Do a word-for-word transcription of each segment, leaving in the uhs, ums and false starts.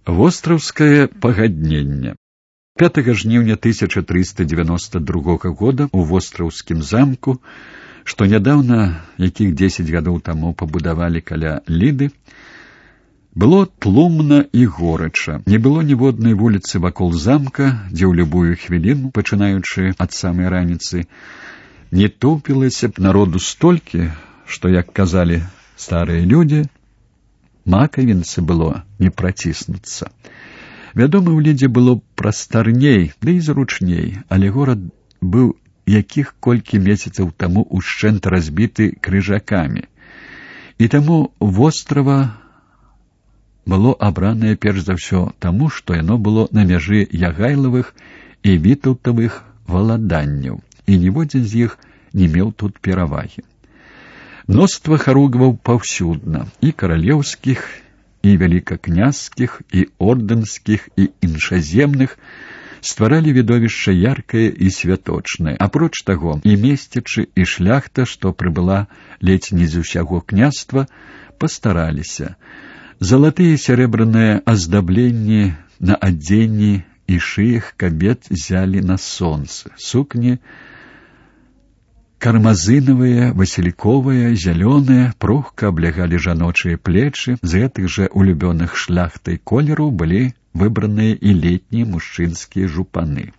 Востраўскае пагадненне. пятага жніўня тысяча трыста девяносто другога года у востраўскім замку, што нядаўна, якіх дзесяць гадоў таму пабудавалі каля Ліды, было тлумна і горача. Не было ніводнай вуліцы вакол замка, дзе ў любую хвіліну, пачынаючы ад самай раніцы, не тупілася б народу столькі, што, як казалі старыя людзі, макавінцы было не праціснуцца. Вядома, у Лідзе было прастарней, ды і зручней, але горад быў якіх колькі месяцаў таму ушчэнт разбіты крыжакамі. І таму вострава было абранае перш за ўсё таму, што яно было на мяжы ягайлавых і вітаўтавых валаданняў, і ніводзін з іх не меў тут перавагі. Мноства харугваў паўсюдна, і каралеўскіх, і вялікакняскіх, і ордэнскіх, і іншаземных, стваралі відовішча яркае і святочнае. Апроч таго, і месцічы, і шляхта, што прыбыла ледзь не з усяго княства, пастараліся. Залатыя сярэбраныя аздабленні на адзенні і шыях кабет зялі на сонцы, сукні кармазынавыя, васільковыя, зялёныя, прухка аблягалі жаночыя плечы, з гэтых жа улюбёных шляхтай колераў былі выбраныя і летнія мужчынскія жупаны.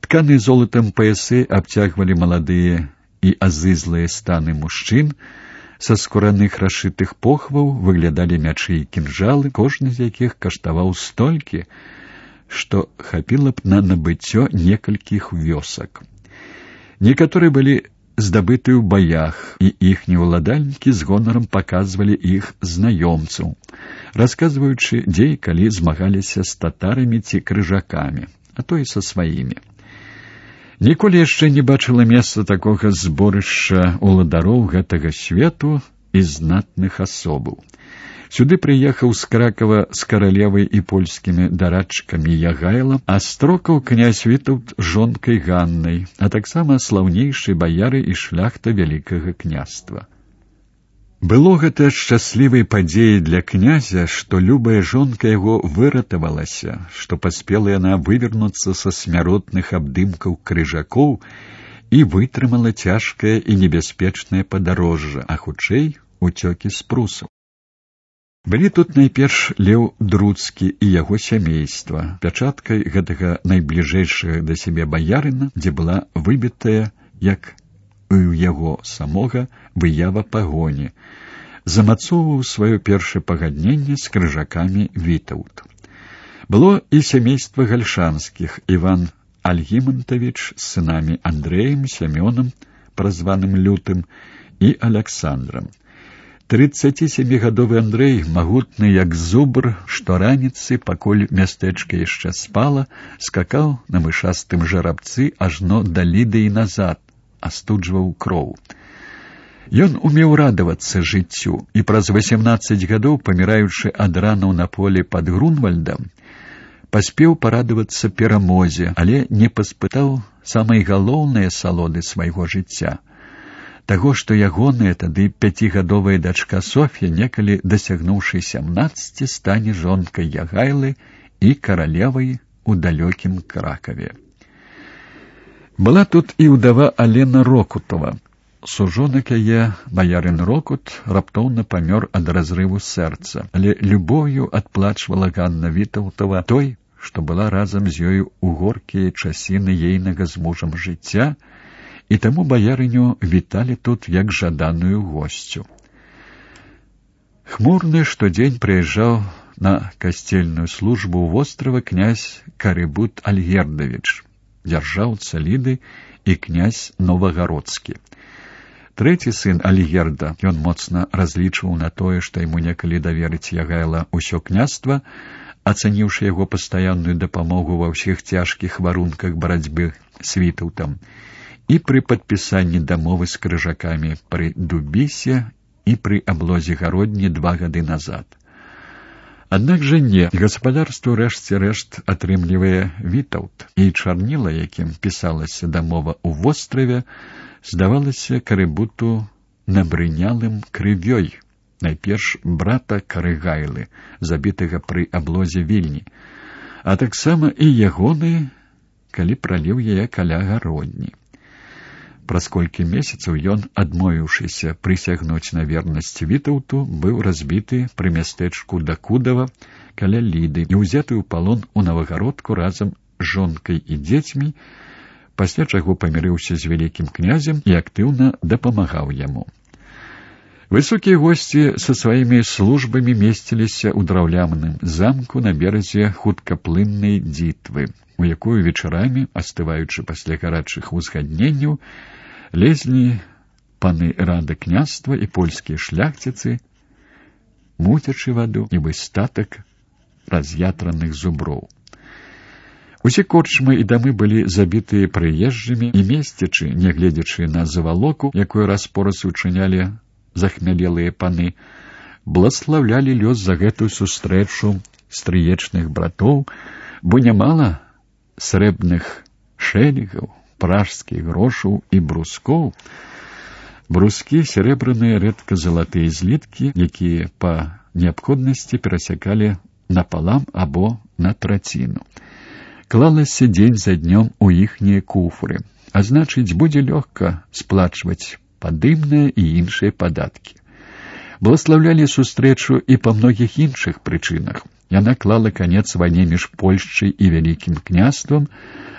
Тканы золатам паясы абцягвалі маладыя і азызлыя станы мужчын, са скураных расшытых похваў выглядалі мячы і кінжалы, кожны з якіх каштаваў столькі, што хапіла б на набыццё некалькіх вёсак. Некаторыя былі здабыты ў баях, і іхнія ўладальнікі з гонарам паказвалі іх знаёмцаў, расказваючы, дзе і калі змагаліся з татарамі ці крыжакамі, а то і са сваімі. Ніколі яшчэ не бачыла месца такога зборышча уладароў гэтага свету і знатных асобаў. Сюды прыехаў з Кракава з каралевай і польскімі дарадчыкамі Ягайлам, а строкаў князь Вітаўт з жонкай Ганнай, а таксама слаўнейшыя баяры і шляхта вялікага княства. Было гэта шчаслівай падзеяй для князя, што любая жонка яго выратавалася, што паспела яна вывернуцца са смяротных абдымкаў крыжакоў і вытрымала цяжкае і небяспечнае падарожжа, а хутчэй уцёкі з прусаў. Былі тут найперш Леў Друцкі і яго сямейства, пячаткай гэтага найбліжэйшага да сябе баярына, дзе была выбітая, як і ў яго самога, выява пагоні, замацоўваў сваё першае пагадненне з крыжакамі Вітаўт. Было і сямейства гальшанскіх, Іван Альгімантавіч з сынамі Андрэем, Сямёнам, празваным Лютым, і Аляксандрам. трыццацісямігадовы Андрэй, магутны як зубр, што раніцы, пакуль мястэчка яшчэ спала, скакаў на мышастым жарабцы ажно да Ліды і назад, астуджваў кроў. Ён умеў радавацца жыццю, і праз васямнаццаць гадоў, паміраючы ад ранаў на полі пад Грунвальдам, паспеў парадавацца перамозе, але не паспытаў самай галоўнай асалоды свайго жыцця. Таго, што ягоная тады пяцігадовая дачка Соф'я, некалі дасягнуўшы сямнаццаці, стане жонкай Ягайлы і каралевай у далёкім Кракаве. Была тут і ўдава Алена Рокутова. Сужонак яе, баярын Рокут, раптоўна памёр ад разрыву сэрца, але любоўю адплачвала Ганна Вітаўтава той, што была разам з ёю ў горкія часіны ейнага з мужам жыцця, і таму баярыню віталі тут як жаданую госцю. Хмурны штодзень прыязджаў на касцельную службу ў вострава князь Карыбут Альгердавіч, дзяржаўца Ліды і князь Новагародскі. Трэці сын Альгерда, ён моцна разлічваў на тое, што яму некалі даверыць Ягайла ўсё княства, ацаніўшы яго пастаянную дапамогу ва ўсіх цяжкіх варунках барацьбы з Вітаўтам, і пры падпісанні дамовы з крыжакамі пры Дубісе і пры аблозе Гародні два гады назад. Аднак жа не, гаспадарству рэшце рэшт атрымлівае Вітаўт, і чарніла, якім пісалася дамова ў востраве, здавалася Карыбуту набрынялым крывёй, найперш брата Карыгайлы, забітага пры аблозе Вільні, а таксама і ягоны, калі праліў яе каля гародні. Праз колькі месяцаў ён, адмовіўшыся прысягнуць на вернасць Вітаўту, быў разбіты пры мястэчку Дакудава каля Ліды і ўзяты ў палон у Навагародку разам з жонкай і дзецьмі, пасля чаго памірыўся з вялікім князем і актыўна дапамагаў яму. Высокія госці са сваімі службамі месціліся ў драўляным замку на беразе хуткаплыннай дзітвы, у якую вечарамі, астываючы пасля гарачых узгадненняў, лезлі паны рады княства і польскія шляхціцы, муцячы ваду, нібы статак раз'ятраных зуброў. Усе корчмы і дамы былі забітыя прыезджымі, і месцячы, нягледзячы на завалоку, якую раз-пораз учынялі захмялелыя паны, бласлаўлялі лёс за гэтую сустрэчу стрыечных братоў, бо нямала срэбных шэлегаў, пражскіх грошаў і брускоў. Брускі — серебраныя рэдка залатыя зліткі, якія па неабходнасці перасякалі напалам або на траціну. Клалася дзень за днём у іхнія куфры, а значыць, будзе лёгка сплачваць падымныя і іншыя падаткі. Бласлаўлялі сустрэчу і па многіх іншых прычынах. Яна клала канец вайне між Польшчай і Вялікім княствам,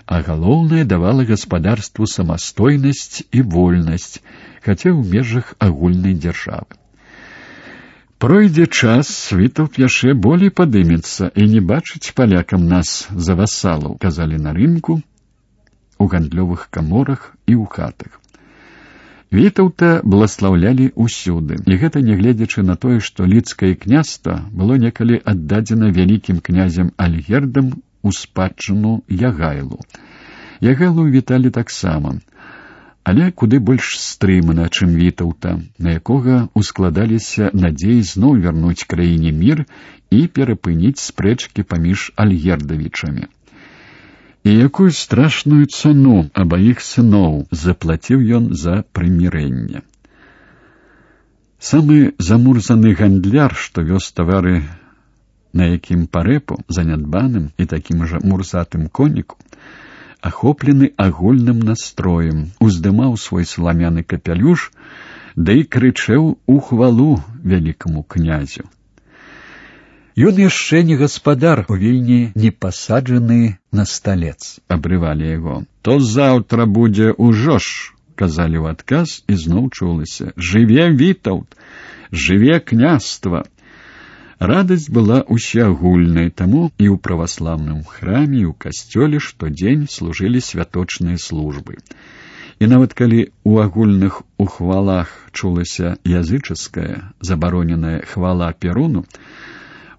а галоўнае давала гаспадарству самастойнасць і вольнасць, хаця ў межах агульнай дзяржавы. Пройдзе час, Вітаўт яшчэ болей падымецца і не бачыць палякам нас за васалаў, казалі на рынку, у гандлёвых каморах і ў хатах. Вітаўта бласлаўлялі ўсюды, і гэта нягледзячы на тое, што лідскае княства было некалі аддадзена вялікім князем Альгердам у спадчыну Ягайлу. Ягайлу віталі таксама, але куды больш стрымана, чым Вітаўта, на якога ускладаліся надзеі зноў вярнуць краіне мір і перапыніць спрэчкі паміж альгердавічамі. І якую страшную цану абаіх сыноў заплаціў ён за прымірэнне. Самы замурзаны гандляр, што вёз тавары на якім парэпу, занядбаным і такім жа мурзатым коніку, ахоплены агульным настроем, уздымаў свой саламяны капялюш, да і крычэў у хвалу вялікаму князю. Ён яшчэ не гаспадар, у Вільні не пасаджаны на сталец, абрывалі яго. То заўтра будзе ўжо ж, казалі ў адказ, і зноў чулася: жыве Вітаўт, жыве княства. Радасць была усеагульнай, таму і ў праваслаўным храме, і ў касцёле штодзень служылі святочныя службы. І нават калі ў агульных ухвалах чулася язычаская, забароненая хвала Перуну,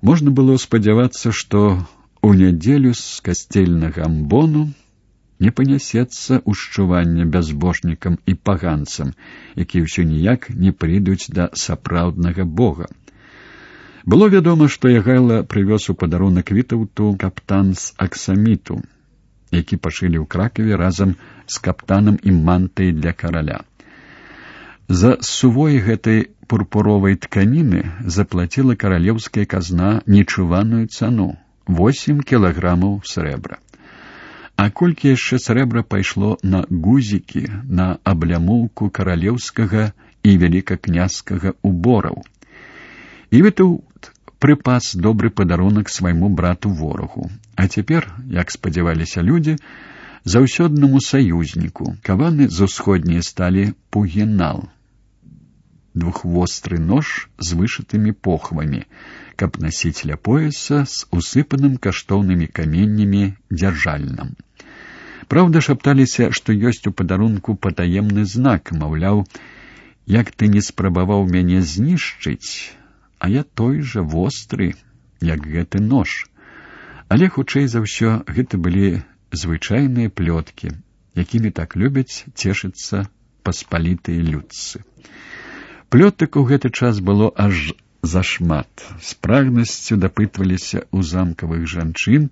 можна было спадзявацца, што у нядзелю з касцельнага амбону не панясецца ўшчуванне бязбожнікам і паганцам, якія ўсё ніяк не прыйдуць да сапраўднага бога. Было вядома, што Ягайла прывёз у падарунак Вітаўту каптан з аксаміту, які пашылі ў Кракаве разам з каптанам і мантай для караля. За сувой гэтай пурпуровай тканіны заплаціла каралеўская казна нечуваную цану — восемь кілаграмаў срэбра. А колькі яшчэ срэбра пайшло на гузікі, на аблямоўку каралеўскага і вялікакняскага убораў. І Вітаўт прыпас добры падарунак свайму брату-ворагу. А цяпер, як спадзяваліся людзі, заўсёднаму саюзніку, каваны з усходняй сталі пугінал, двухвостры нож з вышытымі похвамі, каб насіць ля пояса з усыпаным каштоўнымі каменнямі дзяржальнам. Праўда, шапталіся, што ёсць у падарунку патаемны знак, маўляў, як ты не спрабаваў мяне знішчыць, а я той жа востры, як гэты нож. Але, хутчэй за ўсё, гэта былі звычайныя плёткі, якімі так любяць цешыцца паспалітыя людцы. Плётак у гэты час было аж зашмат. З прагнасцю дапытваліся ў замкавых жанчын,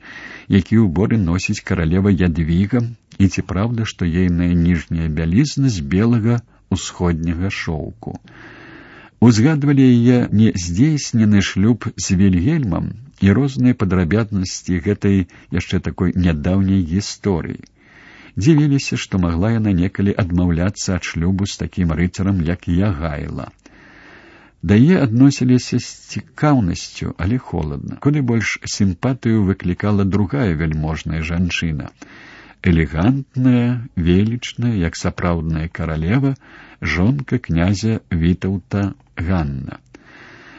які ўборы носіць каралева Ядвіга, і ці праўда, што ейная ніжняя бялізна з белага ўсходняга шоўку. Узгадвалі яе нездзейснены шлюб з Вільгельмам і розныя падрабязнасці гэтай яшчэ такой нядаўняй гісторыі. Дзівіліся, што магла яна некалі адмаўляцца ад шлюбу з такім рыцарам, як Ягайла. Да яе адносіліся з цікаўнасцю, але холадна. Куды больш сімпатыю выклікала другая вяльможная жанчына. Элегантная, велічная, як сапраўдная каралева, жонка князя Вітаўта Ганна.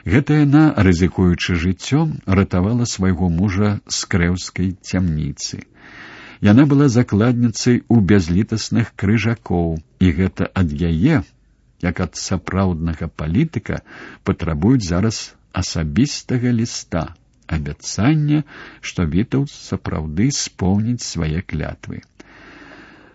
Гэта яна, рызыкуючы жыццём, ратавала свайго мужа з крэўскай цямніцы. Яна была закладніцай у бязлітасных крыжакоў, і гэта ад яе, як ад сапраўднага палітыка, патрабуюць зараз асабістага ліста, абяцання, што Вітаўт сапраўды споўніць свае клятвы.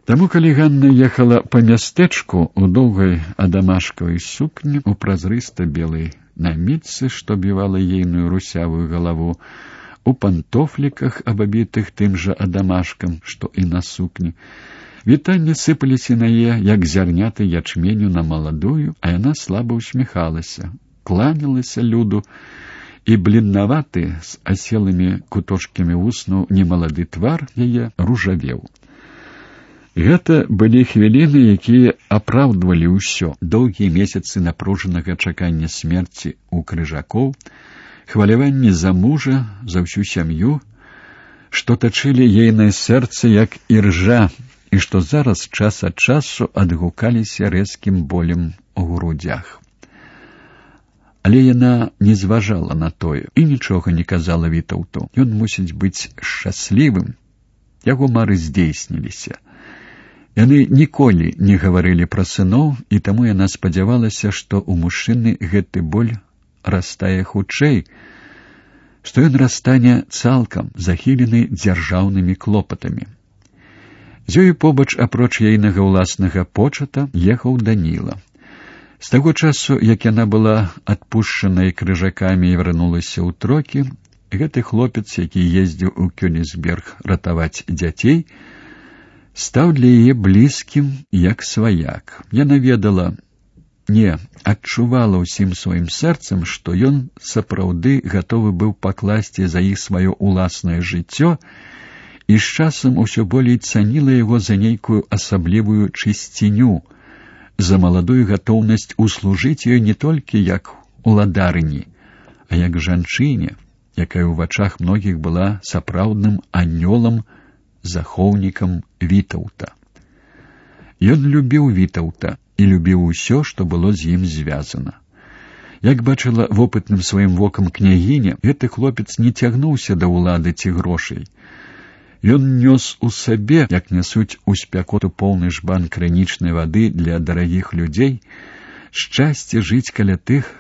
Таму, калі Ганна ехала па мястэчку у доўгай адамашкавай сукні, у празрыста-белай намітцы, што бівала ейную русявую галаву, у пантофліках, абабітых тым жа адамашкам, што і на сукні, вітанні сыпаліся на яе, як зярняты ячменю на маладую, а яна слаба усміхалася, кланялася люду, і бледнаваты з аселымі куточкамі вуснаў немалады твар яе ружавеў. Гэта былі хвіліны, якія апраўдвалі ўсё. Доўгія месяцы напружанага чакання смерці ў крыжакоў, хваляванні за мужа, за ўсю сям'ю, што тачылі ейнае сэрца, як іржа, і што зараз час ад часу адгукаліся рэзкім болем у грудзях. Але яна не зважала на тое і нічога не казала Вітаўту. Ён мусіць быць шчаслівым. Яго мары здзейсніліся. Яны ніколі не гаварылі пра сыноў, і таму яна спадзявалася, што ў мужчыны гэты боль растае хутчэй, што ён растане цалкам захілены дзяржаўнымі клопатамі. З ёю побач, апроч ейнага ўласнага почата, ехаў Даніла. З таго часу, як яна была адпушчанай крыжакамі і вярнулася ў трокі, гэты хлопец, які ездзіў у Кёнігсберг ратаваць дзяцей, стаў для яе блізкім, як сваяк. Яна ведала, не, адчувала ўсім сваім сэрцам, што ён сапраўды гатовы быў пакласці за іх сваё ўласнае жыццё, і з часам усё болей цаніла яго за нейкую асаблівую чысціню, за маладую гатоўнасць услужыць ёй не толькі як уладарыні, а як жанчыне, якая ў вачах многіх была сапраўдным анёлам, захоўнікам Вітаўта. Ён любіў Вітаўта і любіў усё, што было з ім звязана. Як бачыла вопытным сваім вокам княгіня, гэты хлопец не цягнуўся да ўлады ці грошай. Ён нёс у сабе, як нясуць у спякоту поўны жбан крынічнай вады для дарагіх людзей, шчасце жыць каля тых,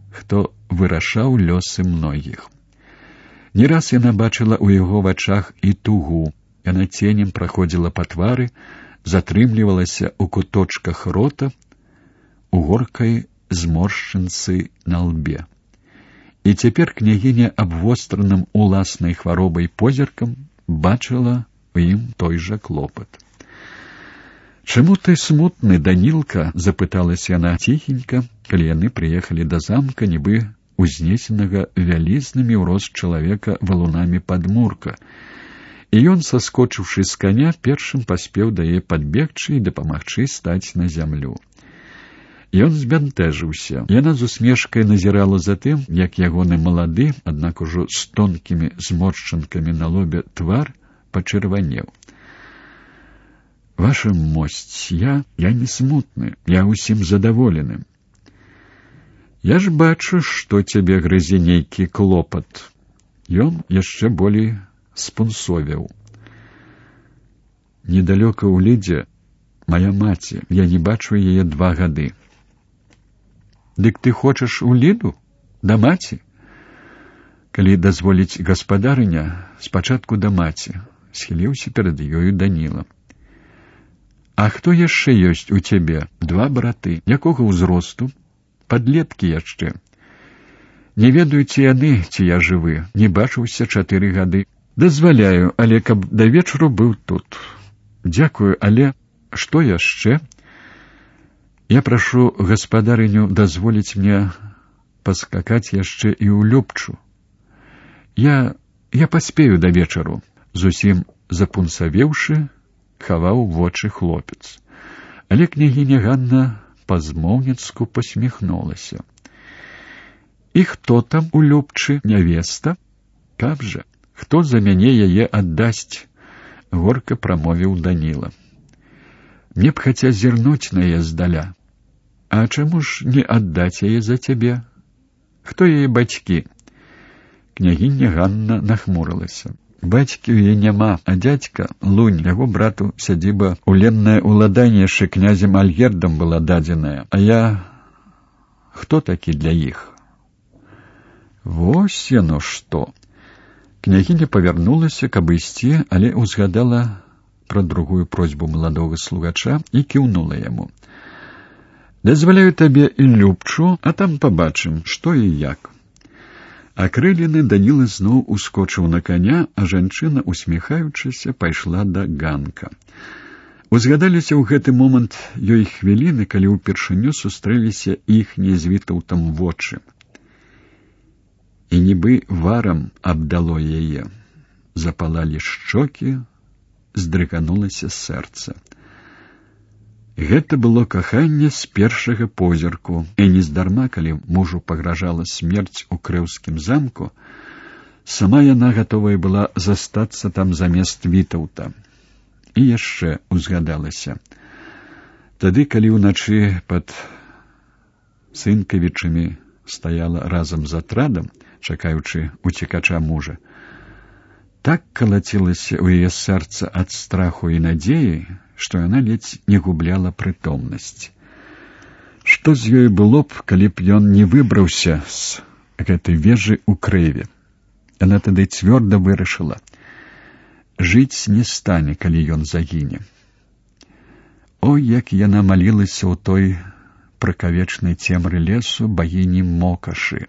хто вырашаў лёсы многіх. Не раз яна бачыла ў яго вачах і тугу. Яна ценем праходзіла па твары, затрымлівалася ў куточках рота, у горкай зморшчынцы на лбе. І цяпер княгіня абвостраным уласнай хваробай позіркам бачыла у ім той жа клопат. «Чаму ты смутны, Данілка?» — запыталася яна ціхенька, калі яны прыехалі да замка, нібы узнесенага вялізнымі ў рост чалавека валунамі падмурка. І ён, саскочыўшы з каня, першым паспеў да яе падбегчы і дапамагчы стаць на зямлю. Ён збянтэжыўся. Яна з усмешкай назірала за тым, як ягоны малады, аднак ужо з тонкімі зморшчынкамі на лобе твар пачырванеў. «Ваша мосць, я, я не смутны, я усім задаволены. Я ж бачу, што цябе грызе нейкі клопат». Ён яшчэ болей спунсовіў. «Недалёка ў Лідзе моя маці, я не бачу яе два гады». «Дык ты хочаш у Ліду? Да маці?» «Калі дазволіць гаспадарыня, спачатку да маці», — схіліўся перад ёю Даніла. «А хто яшчэ ёсць у цябе?» «Два браты. Якога ўзросту?» «Падлеткі яшчэ. Не ведаю, ці яны, ці я жывы. Не бачыўся чатыры гады. Дазваляю, але каб да вечару быў тут». «Дзякую, але што яшчэ?» Я прашу гаспадарыню дазволіць мне паскакаць яшчэ і ў Любчу. Я... я паспею да вечару, зусім запунсавеўшы, хаваў вочы хлопец. Але княгіня Ганна па-змоўніцку посміхнулася. І хто там у Любчы, нявеста? Каб жа, хто за мяне яе аддасць? Горка прамовіў Даніла. Мне б хаця зірнуць на яе здаля. А чаму ж не аддаць яе за цябе? Хто яе бацькі? Княгіня Ганна нахмурылася. Бацькі ў яе няма, а дзядзька, Лунь, яго брату сядзіба уленнае ўладанне яшчэ князем Альгердам была дадзеная. А я... хто такі для іх? Вось яно што! Княгіня павярнулася, каб ісці, але ўзгадала пра другую просьбу маладога слугача і кіўнула яму. Дазваляю табе і Любчу, а там пабачым, што і як. Акрылены Даніла зноў ускочыў на коня, а жанчына, усміхаючыся, пайшла да ганка. Узгадаліся ў гэты момант ёй хвіліны, калі ўпершыню сустрэліся іхнія з Вітаўтам вочы. І нібы варам абдало яе. Запалалі шчокі, здрыганулася сэрца. Гэта было каханне з першага позірку, і нездарма, калі мужу пагражала смерць у крэўскім замку, сама яна гатовая была застацца там замест Вітаўта. І яшчэ узгадалася. Тады, калі ўначы пад Сынкавічамі стаяла разам з атрадам, чакаючы уцекача мужа, так калацілася ў яе сэрца ад страху і надзеі, што яна ледзь не губляла прытомнасць. Што з ёй было б, калі б ён не выбраўся з гэтай вежы ў крэве? Яна тады цвёрда вырашыла. Жыць не стане, калі ён загіне. Ой, як яна малілася ў той пракавечнай цемры лесу багіні Мокашы.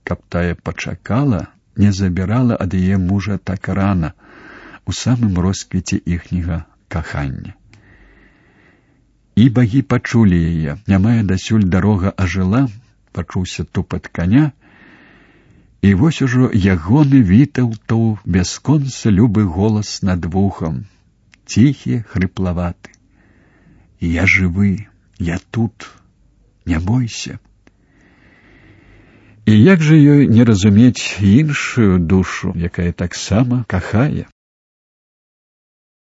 Каб тая пачакала, не забірала ад яе мужа так рана, у самым росквіце іхняга кахання. І багі пачулі яе, нямая дасюль дарога ажыла, пачуўся тупат коня, і вось ужо ягоны Вітаўтаў бясконца любы голас над вухам, ціхі, хрыплаваты. Я жывы, я тут, не бойся. І як жа ёй не разумець іншую душу, якая таксама кахае?